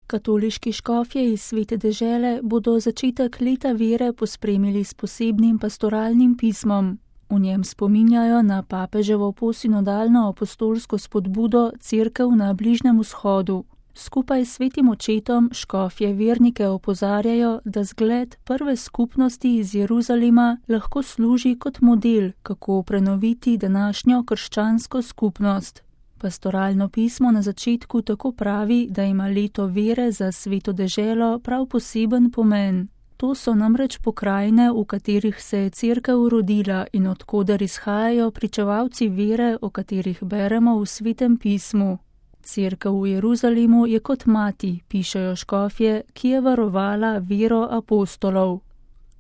Katoliški škofje iz Svete dežele bodo začetek leta vere pospremili s posebnim pastoralnim pismom. V njem spominjajo na papeževo posinodalno apostolsko spodbudo Cerkev na Bližnjem vzhodu. Skupaj s svetim očetom škofje vernike opozarjajo, da zgled prve skupnosti iz Jeruzalema lahko služi kot model, kako prenoviti današnjo krščansko skupnost. Pastoralno pismo na začetku tako pravi, da ima leto vere za Sveto deželo prav poseben pomen. To so namreč pokrajine, v katerih se je Cerkev rodila in od koder izhajajo pričevalci vere, o katerih beremo v Svetem pismu. Cerkev v Jeruzalemu je kot mati, pišejo škofje, ki je varovala vero apostolov.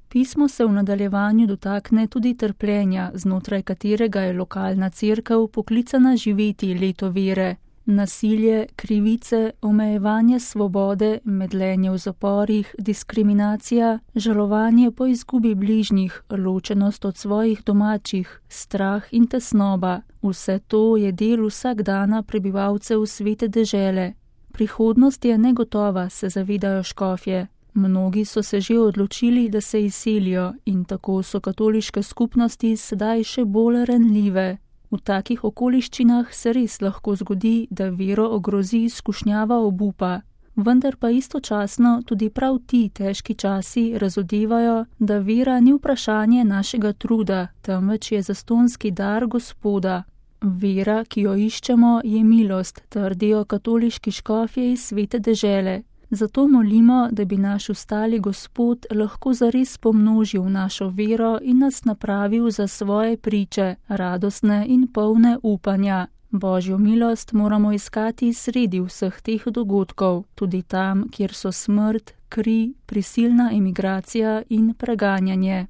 Pismo se v nadaljevanju dotakne tudi trpljenja, znotraj katerega je lokalna cerkev poklicana živeti leto vere. Nasilje, krivice, omejevanje svobode, medlenje v zaporih, diskriminacija, žalovanje po izgubi bližnjih, ločenost od svojih domačih, strah in tesnoba. Vse to je del vsakdana prebivalcev Svete dežele. Prihodnost je negotova, se zavedajo škofje. Mnogi so se že odločili, da se izselijo in tako so katoliške skupnosti sedaj še bolj ranljive. V takih okoliščinah se res lahko zgodi, da vero ogrozi skušnjava obupa. Vendar pa istočasno tudi prav ti težki časi razodevajo, da vera ni vprašanje našega truda, temveč je zastonski dar Gospoda. Vera, ki jo iščemo, je milost, trdijo katoliški škofje iz Svete dežele. Zato molimo, da bi naš ustali Gospod lahko zares pomnožil našo vero in nas napravil za svoje priče, radostne in polne upanja. Božjo milost moramo iskati sredi vseh teh dogodkov, tudi tam, kjer so smrt, kri, prisilna emigracija in preganjanje.